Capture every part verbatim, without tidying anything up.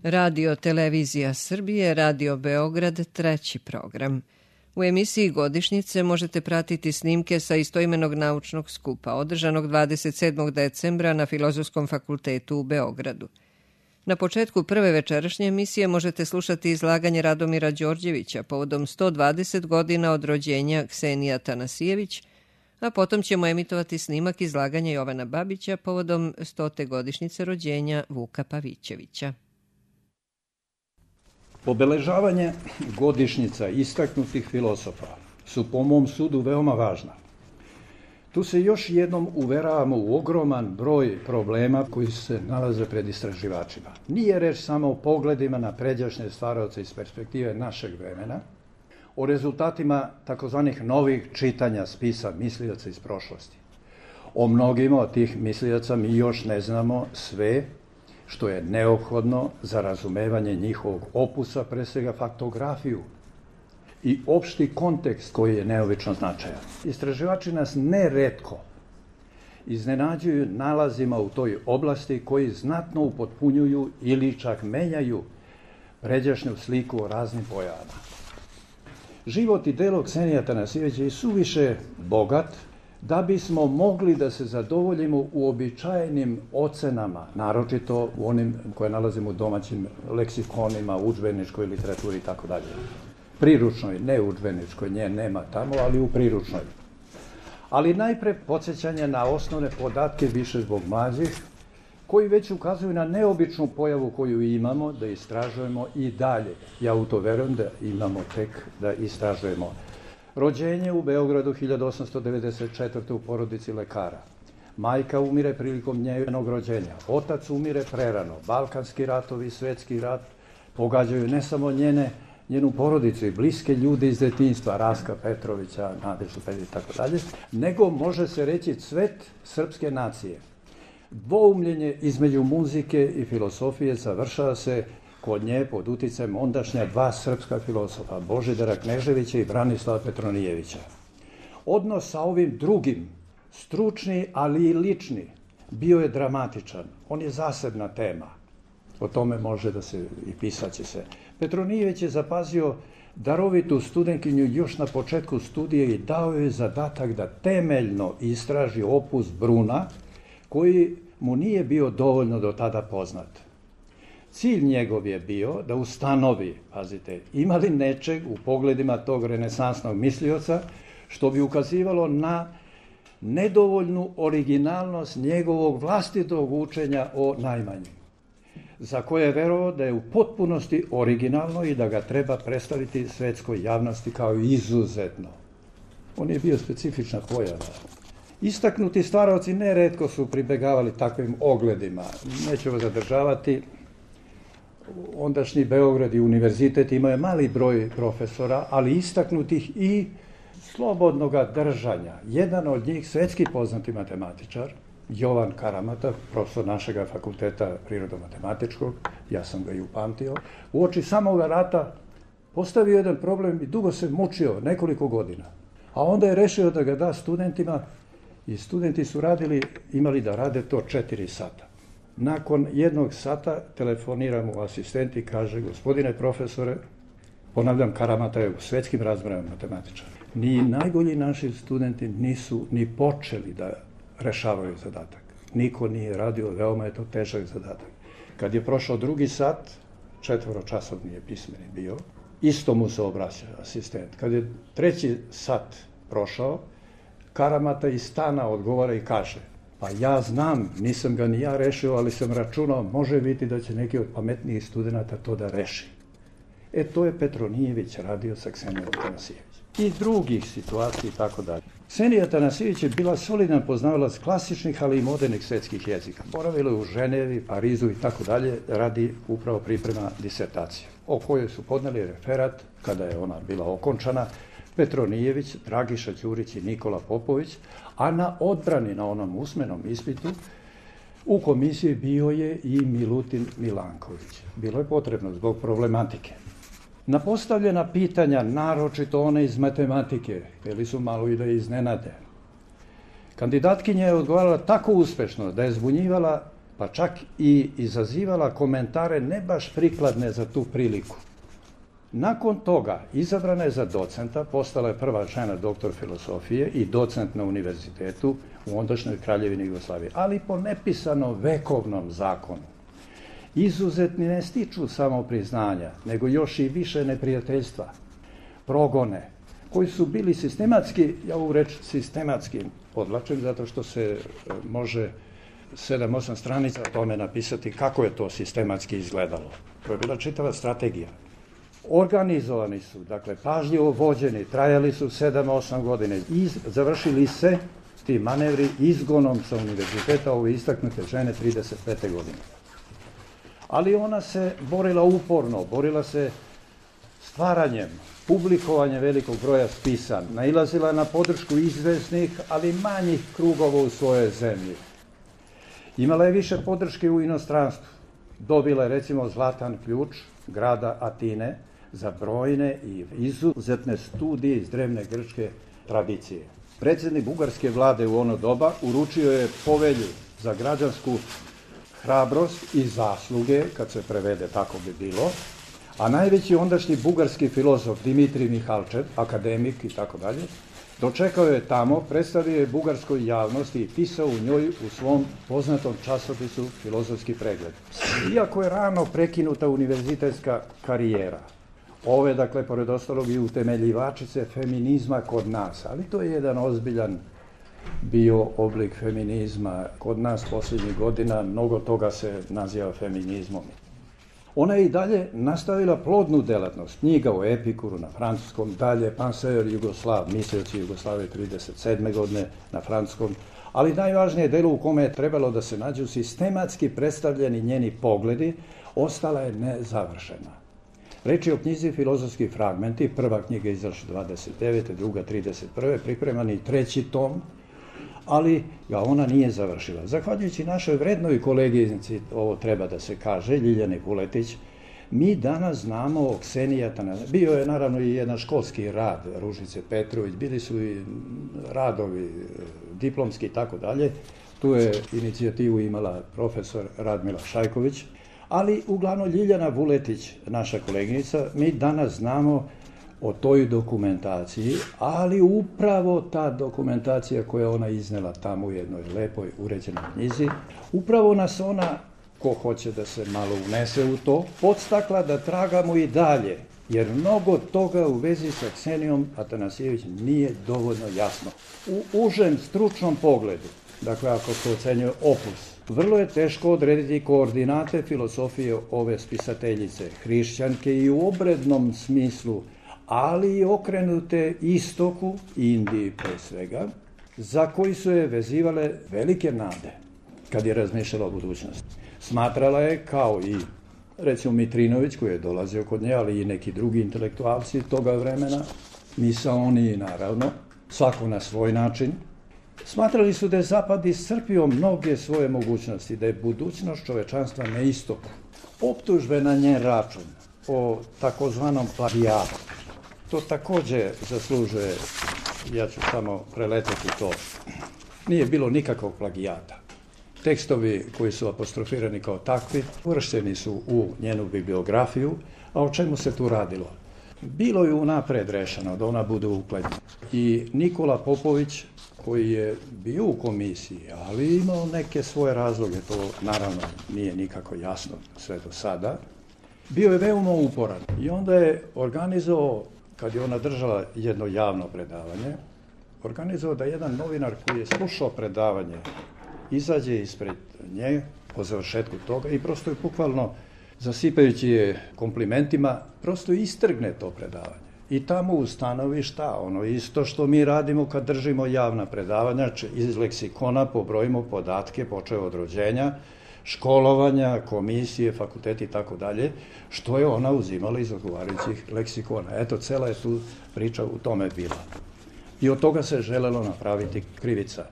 Radio Televizija Srbije, Radio Beograd, treći program. U emisiji Godišnjice možete pratiti snimke sa istoimenog naučnog skupa, održanog dvadeset sedmog decembra na Filozofskom fakultetu u Beogradu. Na početku prve večerašnje emisije možete slušati izlaganje Radomira Đorđevića povodom sto dvadeset godina od rođenja Ksenije Atanasijević, a potom ćemo emitovati snimak izlaganja Jovana Babića povodom stote godišnjice rođenja Vuka Pavićevića. Obeležavanje godišnjica istaknutih filozofa su po mom sudu veoma važna. Tu se još jednom uveravamo u ogroman broj problema koji se nalaze pred istraživačima. Nije reč samo o pogledima na pređašnje stvaraoce iz perspektive našeg vremena, o rezultatima takozvanih novih čitanja spisa mislioca iz prošlosti. O mnogima od tih mislioca mi još ne znamo sve što je neophodno za razumevanje njihovog opusa, pre svega faktografiju i opšti kontekst koji je neobično značajan. Istraživači nas neretko iznenađuju nalazima u toj oblasti koji znatno upotpunjuju ili čak menjaju pređašnju sliku o raznim pojavama. Život i delo Ksenije Atanasijevića je suviše bogat da bismo mogli da se zadovoljimo uobičajenim ocenama, naročito u onim koje nalazimo u domaćim leksikonima, udžbeničkoj literaturi i tako dalje. Priručnoj, ne udžbeničkoj, nje nema tamo, ali u priručnoj. Ali najpre podsjećanje na osnovne podatke više zbog mlađih, koji već ukazuju na neobičnu pojavu koju imamo da istražujemo i dalje. Ja u to verujem da imamo tek da istražujemo. Rođenje u Beogradu hiljadu osamsto devedeset četvrte. u porodici lekara. Majka umire prilikom njenog rođenja. Otac umire prerano. Balkanski ratovi, svetski rat pogađaju ne samo njene, njenu porodicu i bliske ljude iz detinjstva, Raska Petrovića, Nadeždu Petrovića i tako dalje, nego može se reći cvet srpske nacije. Dvoumljenje između muzike i filosofije završava se kod nje pod uticajem ondašnja dva srpska filosofa, Božidara Kneževića i Branislava Petronijevića. Odnos sa ovim drugim, stručni, ali i lični, bio je dramatičan. On je zasebna tema. O tome može da se i pisaće se. Petronijević je zapazio darovitu studentkinju još na početku studije i dao joj zadatak da temeljno istraži opus Bruna, koji mu nije bio dovoljno do tada poznat. Cilj njegov je bio da ustanovi, pazite, ima li nečeg u pogledima tog renesansnog mislioca što bi ukazivalo na nedovoljnu originalnost njegovog vlastitog učenja o najmanjim, za koje je verovao da je u potpunosti originalno i da ga treba predstaviti svetskoj javnosti kao izuzetno. On je bio specifična pojava. Istaknuti stvaraoci neretko su pribegavali takvim ogledima. Neću vas zadržavati. Ondašnji Beograd i univerzitet imao je mali broj profesora, ali istaknutih i slobodnoga držanja. Jedan od njih, svetski poznati matematičar, Jovan Karamata, profesor našega fakulteta prirodno-matematičkog, ja sam ga i upamtio, uoči samoga rata postavio jedan problem i dugo se mučio, nekoliko godina. A onda je rešio da ga da studentima i studenti su radili, imali da rade to četiri sata. Nakon jednog sata telefonira mu asistent i kaže: gospodine profesore, ponavljam, Karamata je u svetskim razmerama matematičar, ni najbolji naši studenti nisu ni počeli da rešavaju zadatak. Niko nije radio, veoma je to težak zadatak. Kad je prošao drugi sat, četvoročasovni je pismeni bio, isto mu se obraća asistent. Kad je treći sat prošao, Karamata iz stana odgovara i kaže: pa ja znam, nisam ga ni ja rešio, ali sam računao, može biti da će neki od pametnijih studenta to da reši. E, to je Petronijević radio sa Ksenijom Atanasijević. I drugih situacija i tako dalje. Ksenija Atanasijević je bila solidan poznavalac klasičnih, ali i modernih svetskih jezika. Boravila je u Ženevi, Parizu i tako dalje, radi upravo priprema disertacije, o kojoj su podneli referat, kada je ona bila okončana, Petronijević, Dragiša Ćurić i Nikola Popović, a na odbrani, na onom usmenom ispitu, u komisiji bio je i Milutin Milanković. Bilo je potrebno zbog problematike. Na postavljena pitanja, naročito one iz matematike, htjeli su malo i da iznenade. Kandidatkinja je odgovarala tako uspešno da je zbunjivala pa čak i izazivala komentare ne baš prikladne za tu priliku. Nakon toga izabrana je za docenta, postala je prva žena doktor filozofije i docent na univerzitetu u ondašnjoj Kraljevini Jugoslavije, ali po nepisanom vekovnom zakonu. Izuzetni ne stiču samo priznanja, nego još i više neprijateljstva, progone, koji su bili sistematski, ja ovu reč sistematski podlačim, zato što se može sedam osam stranica o tome napisati kako je to sistematski izgledalo. To je bila čitava strategija. Organizovani su, dakle, pažljivo vođeni, trajali su sedam osam godine i završili se ti manevri izgonom sa univerziteta ove istaknute žene trideset pete godine. Ali ona se borila uporno, borila se stvaranjem, publikovanjem velikog broja spisa, nailazila na podršku izvesnih, ali manjih krugova u svojoj zemlji. Imala je više podrške u inostranstvu. Dobila je, recimo, zlatan ključ grada Atine za brojne i izuzetne studije iz drevne grčke tradicije. Predsjednik bugarske vlade u ono doba uručio je povelju za građansku hrabrost i zasluge, kad se prevede tako bi bilo, a najveći ondašnji bugarski filozof Dimitrij Mihalčev, akademik i tako dalje, dočekao je tamo, predstavio je bugarskoj javnosti i pisao u njoj u svom poznatom časopisu Filozofski pregled. Iako je rano prekinuta univerzitetska karijera, ove, dakle, pored ostalog i utemeljivačice feminizma kod nas, ali to je jedan ozbiljan bio oblik feminizma. Kod nas posljednjih godina mnogo toga se naziva feminizmom. Ona je i dalje nastavila plodnu delatnost, knjiga o Epikuru na francuskom, dalje Penseur Jugoslav, mislioci Jugoslavije trideset sedme godine na francuskom, ali najvažnije delo u kome je trebalo da se nađu sistematski predstavljeni njeni pogledi, ostala je nezavršena. Reč je o knjizi Filozofski fragmenti, prva knjiga izašla dvadeset devete, druga trideset prve, pripreman i treći tom, ali ga ona nije završila. Zahvaljujući našoj vrednoj koleginici, ovo treba da se kaže, Ljiljani Vuletić, mi danas znamo o Kseniji Atanasijevich. Bio je naravno i jedan školski rad Ružice Petrović, bili su i radovi diplomski i tako dalje. Tu je inicijativu imala profesor Radmila Šajković, ali uglavnom Ljiljana Vuletić, naša koleginica, mi danas znamo o toj dokumentaciji, ali upravo ta dokumentacija koja ona iznela tamo u jednoj lepoj uređenoj knjizi, upravo nas ona, ko hoće da se malo unese u to, podstakla da tragamo i dalje, jer mnogo toga u vezi sa Ksenijom Atanasijević nije dovoljno jasno. U užem stručnom pogledu, dakle ako se ocenjuje opus, vrlo je teško odrediti koordinate filozofije ove spisateljice, hrišćanke i u obrednom smislu, ali i okrenute istoku, Indiji pre svega, za koji su je vezivale velike nade kad je razmišljala o budućnosti. Smatrala je, kao i recimo Mitrinović, koji je dolazio kod nje, ali i neki drugi intelektualci toga vremena, misaoni naravno, svako na svoj način, smatrali su da je Zapad iscrpio mnoge svoje mogućnosti, da je budućnost čovečanstva na istoku. Optužbe na njen račun o takozvanom plagijatu, to takođe zaslužuje, ja ću samo preleteti to, nije bilo nikakvog plagijata. Tekstovi koji su apostrofirani kao takvi uvršteni su u njenu bibliografiju, a o čemu se tu radilo? Bilo je unapred rešeno da ona bude upletna. I Nikola Popović, koji je bio u komisiji, ali imao neke svoje razloge, to naravno nije nikako jasno sve do sada, bio je veoma uporan i onda je organizovao, kad je ona držala jedno javno predavanje, organizovao da jedan novinar koji je slušao predavanje izađe ispred nje po završetku toga i prosto je bukvalno, zasipajući je komplimentima, prosto istrgne to predavanje. I tamo ustanovi šta? Ono isto što mi radimo kad držimo javna predavanja, iz leksikona pobrojimo podatke, počeo od rođenja, školovanja, komisije, fakulteti i tako dalje, što je ona uzimala iz odgovarajućih leksikona. Eto, cela je tu priča u tome bila. I od toga se želelo napraviti krivica.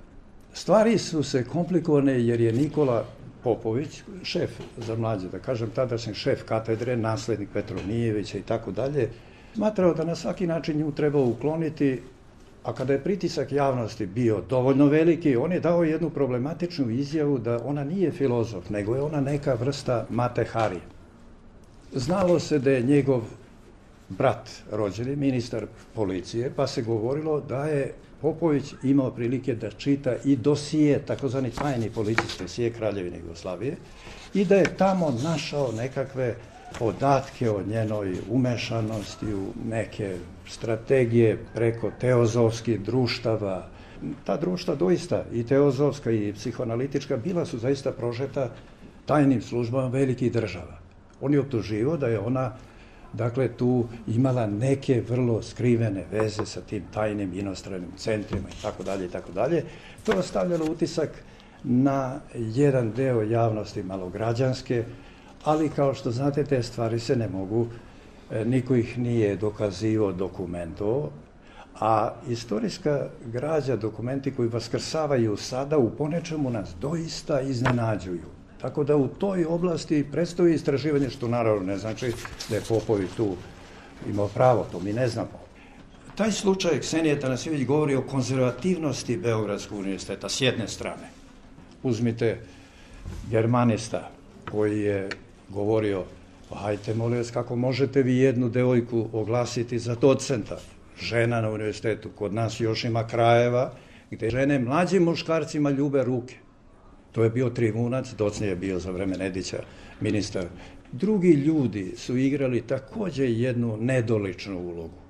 Stvari su se komplikovane jer je Nikola Popović, šef za mlađe, da kažem, tadašnji šef katedre, naslednik Petronijevića i tako dalje, smatrao da na svaki način nju treba ukloniti, A kada je pritisak javnosti bio dovoljno veliki, on je dao jednu problematičnu izjavu da ona nije filozof, nego je ona neka vrsta Mate Hari. Znalo se da je njegov brat rođeni, ministar policije, pa se govorilo da je Popović imao prilike da čita i dosije, takozvani tajni policijski dosije Kraljevine Jugoslavije, i da je tamo našao nekakve podatke o njenoj umešanosti u neke strategije preko teozofskih društava. Ta društva doista, i teozofska i psihoanalitička, bila su zaista prožeta tajnim službama velikih država. On je optuživao da je ona, dakle, tu imala neke vrlo skrivene veze sa tim tajnim inostranim centrima i tako dalje i tako dalje. To je ostavljalo utisak na jedan deo javnosti malograđanske, ali kao što znate, te stvari se ne mogu, niko ih nije dokazivao, dokumentovao, a istorijska građa, dokumenti koji vaskrsavaju sada, u ponečemu nas doista iznenađuju. Tako da u toj oblasti predstoji istraživanje, što naravno ne znači da je Popović tu imao pravo, to mi ne znamo. Taj slučaj Ksenije Tanasijević govori o konzervativnosti Beogradskog univerziteta s jedne strane. Uzmite germanista koji je govorio, pa hajte molim vas, kako možete vi jednu devojku oglasiti za docenta? Žena na univerzitetu, kod nas još ima krajeva gde žene mlađim muškarcima ljube ruke. To je bio Trivunac, docnije je bio za vreme Nedića ministar. Drugi ljudi su igrali takođe jednu nedoličnu ulogu,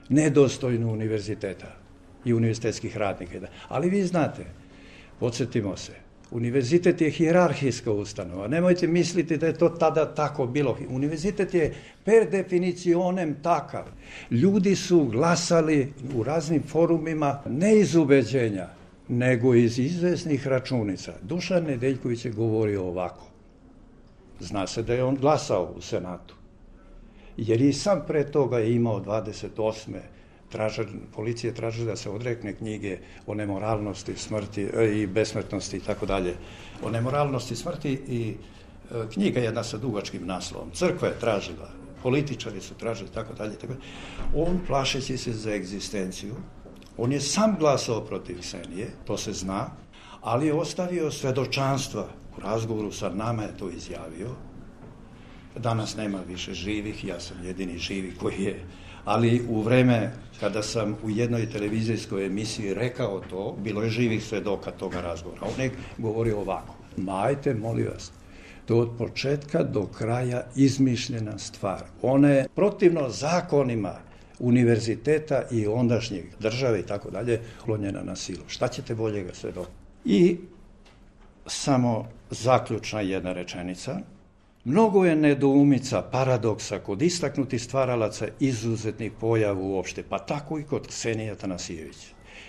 nedostojnu univerziteta i univerzitetskih radnika. Ali vi znate, podsjetimo se, univerzitet je hijerarhijska ustanova. Nemojte misliti da je to tada tako bilo. Univerzitet je per definicionem takav. Ljudi su glasali u raznim forumima ne iz ubeđenja, nego iz izvesnih računica. Dušan Nedeljković je govorio ovako. Zna se da je on glasao u Senatu, jer i sam pre toga je imao dvadeset osme Traža, policije traže da se odrekne knjige o nemoralnosti, smrti i besmrtnosti i tako dalje. O nemoralnosti, smrti i e, knjiga jedna sa dugačkim naslovom. Crkva je tražila, političari su tražili tako dalje. Tako dalje. On, plašeći se za egzistenciju, on je sam glasao protiv Ksenije, to se zna, ali je ostavio svedočanstva. U razgovoru sa nama je to izjavio. Danas nema više živih, ja sam jedini živi koji je. Ali u vreme kada sam u jednoj televizijskoj emisiji rekao to, bilo je živih svedoka toga razgovora. On je govorio ovako. Majte, molim vas, to od početka do kraja izmišljena stvar. Ona je protivno zakonima univerziteta i ondašnjeg države i tako dalje, klonjena na silu. Šta ćete boljega svedoka? I samo zaključna jedna rečenica. Mnogo je nedoumica, paradoksa kod istaknutih stvaralaca izuzetnih pojava uopšte, pa tako i kod Ksenije Tanasijević.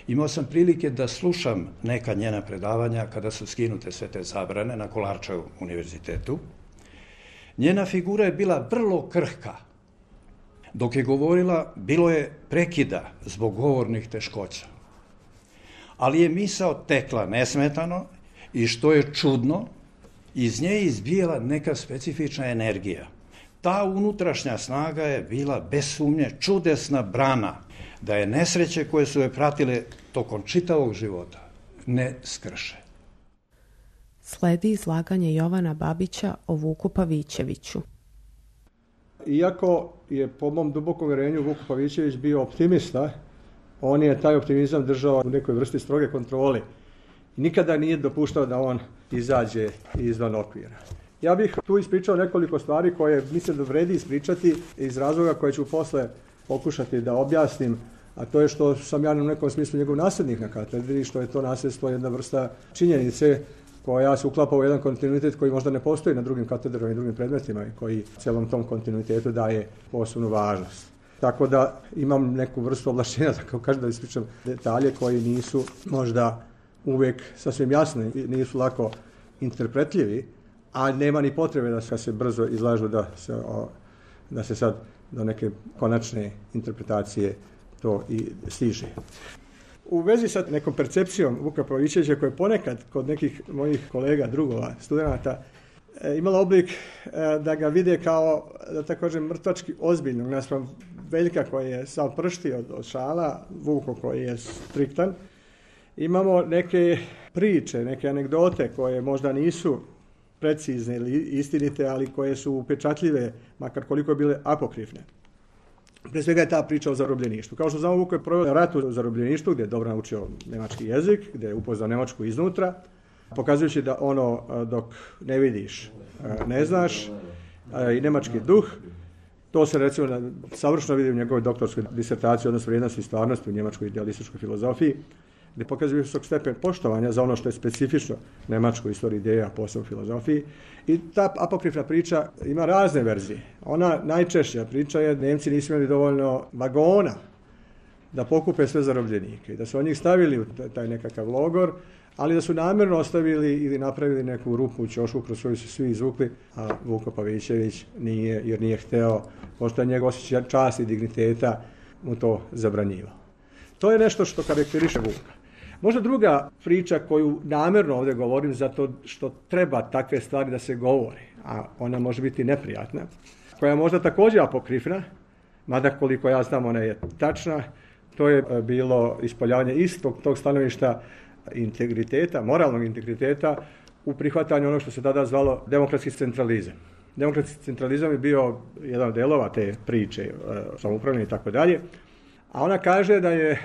Imao sam prilike da slušam neka njena predavanja kada su skinute sve te zabrane na Kolarčevom univerzitetu. Njena figura je bila vrlo krhka. Dok je govorila, bilo je prekida zbog govornih teškoća. Ali je misao tekla nesmetano i što je čudno, iz nje je izbijala neka specifična energija. Ta unutrašnja snaga je bila bez sumnje čudesna brana da je nesreće koje su je pratile tokom čitavog života ne skrše. Sledi izlaganje Jovana Babića o Vuku Pavićeviću. Iako je po mom dubokom uvjerenju Vuk Pavićević bio optimista, on je taj optimizam držao u nekoj vrsti stroge kontrole. Nikada nije dopuštao da on izađe izvan okvira. Ja bih tu ispričao nekoliko stvari koje mislim da vredi ispričati iz razloga koje ću posle pokušati da objasnim, a to je što sam ja u nekom smislu njegov nasljednik na katedri, što je to nasljedstvo jedna vrsta činjenice koja se uklapa u jedan kontinuitet koji možda ne postoji na drugim katedrama i drugim predmetima i koji celom tom kontinuitetu daje posebnu važnost. Tako da imam neku vrstu ovlašćenja, tako kažem, da ispričam detalje koji nisu možda uvijek sasvim jasni, nisu lako interpretljivi, a nema ni potrebe da se brzo izlažu da se, o, da se sad do neke konačne interpretacije to i stiže. U vezi sa nekom percepcijom Vuka Pavićevića, koja je ponekad kod nekih mojih kolega, drugova, studenata, e, imala oblik e, da ga vide kao, da tako kažem, mrtvački ozbiljnog naspram Veljka koji je sav pršti od, od šala, Vuko koji je striktan. Imamo neke priče, neke anegdote koje možda nisu precizne ili istinite, ali koje su upečatljive, makar koliko je bile apokrifne. Pre svega je ta priča o zarobljeništvu. Kao što znamo, Vuko je proveo rat u zarobljeništvu, gdje je dobro naučio nemački jezik, gdje je upoznao Nemačku iznutra, pokazujući da ono dok ne vidiš, ne znaš, i nemački duh. To se recimo savršeno vidi u njegovoj doktorskoj disertaciji, odnosno vrijednosti i stvarnosti u njemačkoj idealističkoj filozofiji, gdje pokazuje visok stepen poštovanja za ono što je specifično nemačkoj istoriji ideja, posebno filozofiji. I ta apokrifna priča ima razne verzije. Ona najčešća priča je da Nemci nisu imali dovoljno vagona da pokupe sve zarobljenike i da su od njih stavili u taj nekakav logor, ali da su namjerno ostavili ili napravili neku rupu u ćošku kroz koju su svi izvukli, a Vuko Pavićević nije, jer nije hteo, pošto je njegov osjećaj časti i digniteta mu to zabranjivao. To je nešto što karakteriše Vuka. Možda druga priča koju namjerno ovdje govorim zato što treba takve stvari da se govori, a ona može biti neprijatna, koja je možda također apokrifna, mada koliko ja znam ona je tačna, to je bilo ispoljavanje istog tog stanovišta integriteta, moralnog integriteta u prihvatanju onog što se tada zvalo demokratski centralizam. Demokratski centralizam je bio jedan od delova te priče, samoupravljanje i tako dalje, a ona kaže da je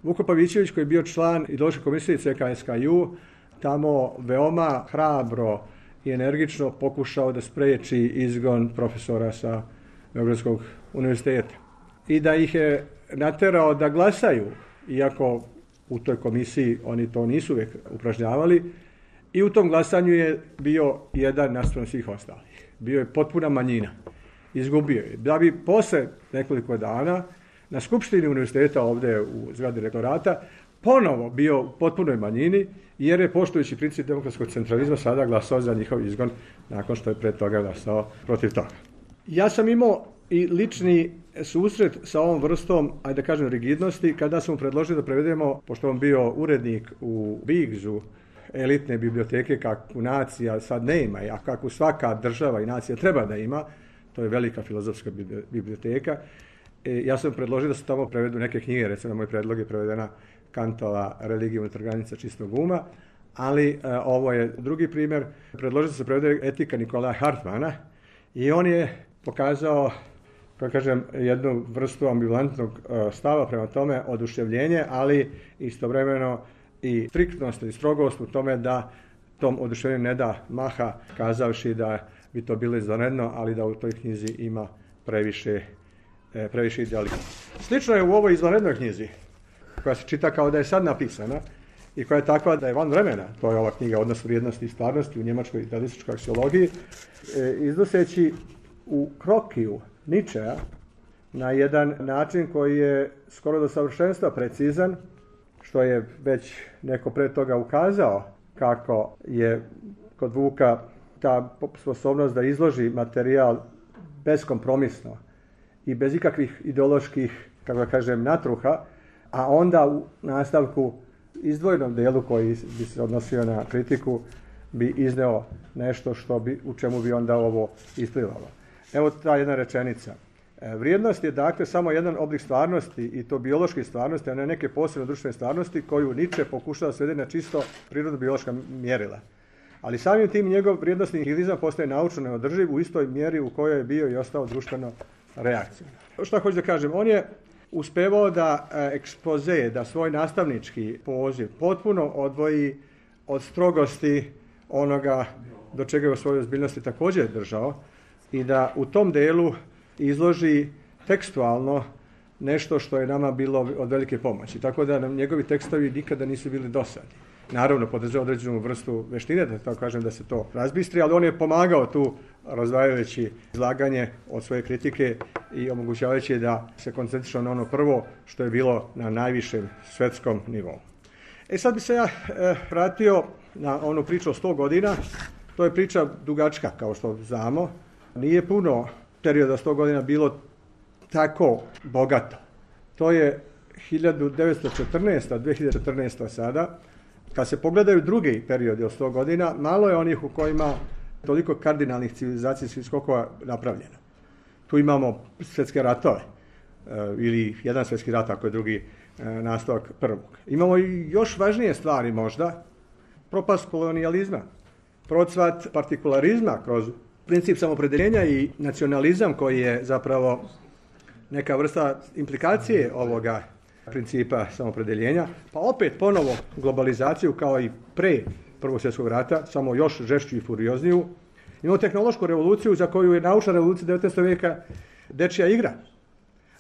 Vuko Pavićević, koji je bio član ideološke komisije C K S K U, tamo veoma hrabro i energično pokušao da spreči izgon profesora sa Beogradskog univerziteta. I da ih je naterao da glasaju, iako u toj komisiji oni to nisu uvijek upražnjavali, i u tom glasanju je bio jedan naspram svih ostalih. Bio je potpuna manjina. Izgubio je. Da bi posle nekoliko dana na skupštini univerziteta ovdje u zgradi rektorata ponovo bio u potpunoj manjini, jer je poštujući princip demokratskog centralizma sada glasao za njihov izgon nakon što je pre toga glasao protiv toga. Ja sam imao i lični susret sa ovom vrstom, ajde da kažem, rigidnosti, kada smo predložili da prevedemo, pošto on bio urednik u Bigzu, elitne biblioteke kakvu nacija sad ne ima, a kakvu svaka država i nacija treba da ima, to je velika filozofska biblioteka. E, ja sam predložio da se tamo prevedu neke knjige, recimo na moj predlog je prevedena Kantova Religija unutar granica čistog uma, ali e, ovo je drugi primjer. Predložio da se prevede Etika Nikolaja Hartmana i on je pokazao, kako kažem, jednu vrstu ambivalentnog e, stava prema tome, oduševljenje, ali istovremeno i striktnost i strogost u tome da tom oduševljenju ne da maha, kazavši da bi to bilo izvanredno, ali da u toj knjizi ima previše previše idealizma. Slično je u ovoj izvanrednoj knjizi, koja se čita kao da je sad napisana i koja je takva da je van vremena, to je ova knjiga Odnos vrijednosti i stvarnosti u njemačkoj idealističkoj aksiologiji, iznoseći u krokiju Ničea na jedan način koji je skoro do savršenstva precizan, što je već neko pre toga ukazao kako je kod Vuka ta sposobnost da izloži materijal beskompromisno i bez ikakvih ideoloških, kako da kažem, natruha, a onda u nastavku izdvojenom delu koji bi se odnosio na kritiku bi izneo nešto što bi, u čemu bi onda ovo isplivalo. Evo ta jedna rečenica. Vrijednost je dakle samo jedan oblik stvarnosti i to biološke stvarnosti, a ne neke posebne društvene stvarnosti koju Nietzsche pokušava svesti na čisto prirodno-biološka mjerila. Ali samim tim njegov vrijednostni nihilizam postaje naučno neodrživ u istoj mjeri u kojoj je bio i ostao društveno reakcija. Što hoću da kažem, on je uspevao da ekspoze, da svoj nastavnički poziv potpuno odvoji od strogosti onoga do čega je u svojoj ozbiljnosti također držao i da u tom delu izloži tekstualno nešto što je nama bilo od velike pomoći. Tako da nam njegovi tekstovi nikada nisu bili dosadni. Naravno, podržao određenu vrstu veštine, da tako kažem, da se to razbistri, ali on je pomagao tu razdvajajući izlaganje od svoje kritike i omogućavajući da se koncentriše na ono prvo što je bilo na najvišem svetskom nivou. E sad bi se ja e, vratio na onu priču o sto godina. To je priča dugačka, kao što znamo. Nije puno perioda sto godina bilo tako bogato. To je hiljadu devetsto četrnaesta. dve hiljade četrnaesta. sada. Kad se pogledaju drugi periodi od sto godina, malo je onih u kojima toliko kardinalnih civilizacijskih skokova napravljeno. Tu imamo svjetske ratove, ili jedan svjetski rat ako je drugi nastavak prvog. Imamo i još važnije stvari možda, propast kolonijalizma, procvat partikularizma kroz princip samopredeljenja i nacionalizam koji je zapravo neka vrsta implikacije ovoga principa samopredeljenja, pa opet ponovo globalizaciju kao i pre Prvog svjetskog rata, samo još žešću i furiozniju. Imamo tehnološku revoluciju za koju je naučna revolucija devetnaestog vijeka dečija igra.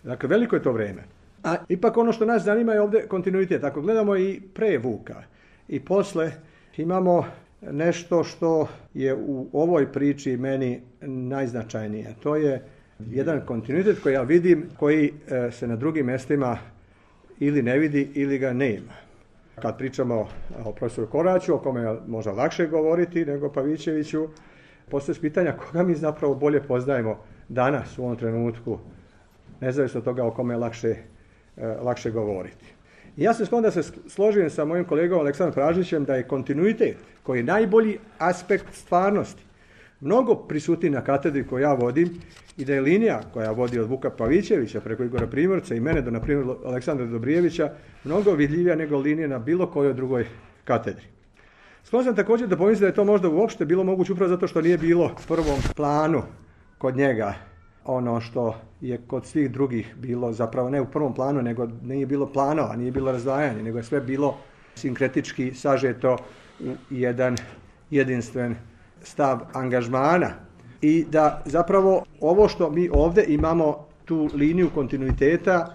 Dakle, veliko je to vrijeme. A ipak ono što nas zanima je ovdje kontinuitet. Ako gledamo i pre Vuka i posle, imamo nešto što je u ovoj priči meni najznačajnije. To je jedan kontinuitet koji ja vidim, koji se na drugim mjestima ili ne vidi ili ga nema. Kad pričamo o profesoru Koraću, o kome je možda lakše govoriti nego Pavićeviću, postoje pitanja koga mi zapravo bolje poznajemo danas u ovom trenutku, nezavisno od toga o kome je lakše, lakše govoriti. I ja sam sklon da se složim sa mojim kolegom Aleksandrom Pražićem da je kontinuitet, koji je najbolji aspekt stvarnosti, mnogo prisutniji na katedri koju ja vodim i da je linija koja vodi od Vuka Pavićevića preko Igora Primorca i mene do, na primjer, Aleksandra Dobrijevića mnogo vidljivija nego linija na bilo kojoj drugoj katedri. Sklon sam također da pomislim da je to možda uopšte bilo moguće upravo zato što nije bilo u prvom planu kod njega ono što je kod svih drugih bilo zapravo ne u prvom planu, nego nije bilo planova, nije bilo razdvajanja, nego je sve bilo sinkretički sažeto u jedan jedinstven stav angažmana. I da zapravo ovo što mi ovdje imamo, tu liniju kontinuiteta,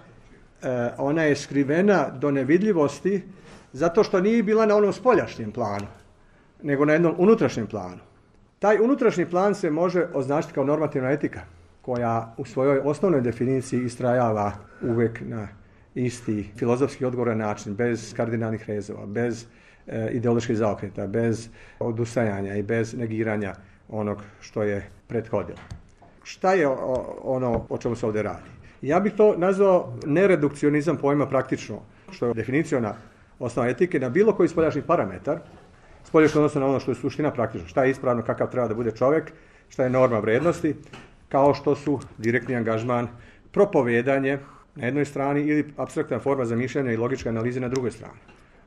eh, ona je skrivena do nevidljivosti zato što nije bila na onom spoljašnjem planu, nego na jednom unutrašnjem planu. Taj unutrašnji plan se može označiti kao normativna etika, koja u svojoj osnovnoj definiciji istrajava uvijek na isti filozofski odgovoran način, bez kardinalnih rezova, bez e, ideoloških zaokreta, bez odustajanja i bez negiranja onog što je prethodilo. Šta je o, ono o čemu se ovdje radi? Ja bih to nazvao neredukcionizam pojma praktično, što je definiciona osnova etike na bilo koji spoljašnji parametar, spoljašnji odnosno na ono što je suština praktično, šta je ispravno, kakav treba da bude čovjek, šta je norma vrijednosti, kao što su direktni angažman, propovedanje na jednoj strani ili apstraktna forma zamišljanja i logičke analize na drugoj strani.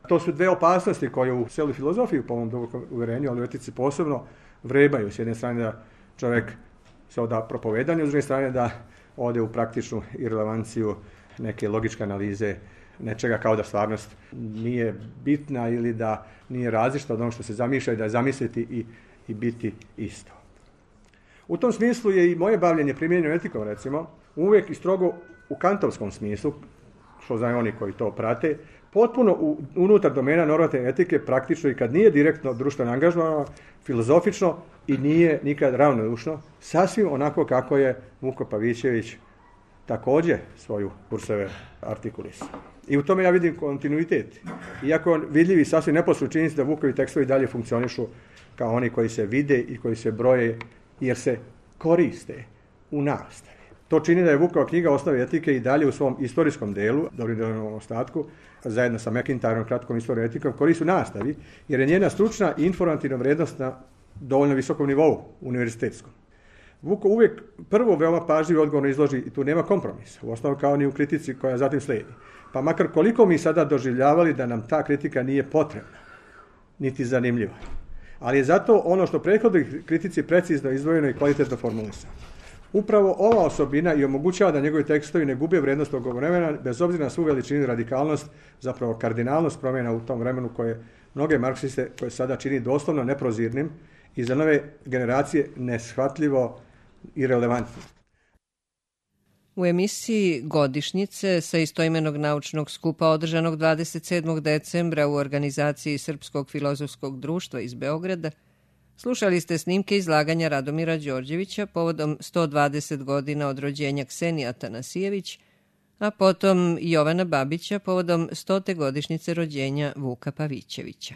To su dve opasnosti koje u cijeloj filozofiji, po mom dubokom uvjerenju, ali u etici posebno, vrebaju. S jedne strane da čovjek se oda propovedanju, s druge strane da ode u praktičnu irelevanciju neke logičke analize nečega kao da stvarnost nije bitna ili da nije različita od onog što se zamišlja i da je zamisliti i, i biti isto. U tom smislu je i moje bavljenje primjenjenom etikom, recimo, uvijek i strogo u kantovskom smislu, što znaju oni koji to prate, potpuno u, unutar domena normativne etike, praktično i kad nije direktno društveno angažovano, filozofično i nije nikad ravnodušno, sasvim onako kako je Vuko Pavićević također svoju kurseve artikulisao. I u tome ja vidim kontinuitet. Iako vidljivi sasvim neposredno činjenica da Vukovi tekstovi dalje funkcionišu kao oni koji se vide i koji se broje jer se koriste u nastavi. To čini da je Vukova knjiga Osnove etike i dalje u svom istorijskom delu, dobrim delom ostatku, zajedno sa McIntyrom, kratkom istorijom etikom, koristi u nastavi, jer je njena stručna i informativna vrijednost na dovoljno visokom nivou, univerzitetskom. Vuko uvijek prvo veoma pažljivo odgovorno izloži i tu nema kompromisa, u osnovu kao ni u kritici koja zatim slijedi. Pa makar koliko mi sada doživljavali da nam ta kritika nije potrebna, niti zanimljiva. Ali je zato ono što prethodnoj kritici precizno izdvojeno i kvalitetno formulisano. Upravo ova osobina i omogućava da njegovi tekstovi ne gube vrijednost tog vremena, bez obzira na svu veličinu i radikalnost, zapravo kardinalnost promjena u tom vremenu koje mnoge marksiste koje sada čini doslovno neprozirnim i za nove generacije neshvatljivo i relevantnim. U emisiji Godišnjice sa istoimenog naučnog skupa održanog dvadeset sedmog decembra u organizaciji Srpskog filozofskog društva iz Beograda slušali ste snimke izlaganja Radomira Đorđevića povodom sto dvadeset godina od rođenja Ksenije Atanasijević, a potom Jovana Babića povodom stote godišnjice rođenja Vuka Pavićevića.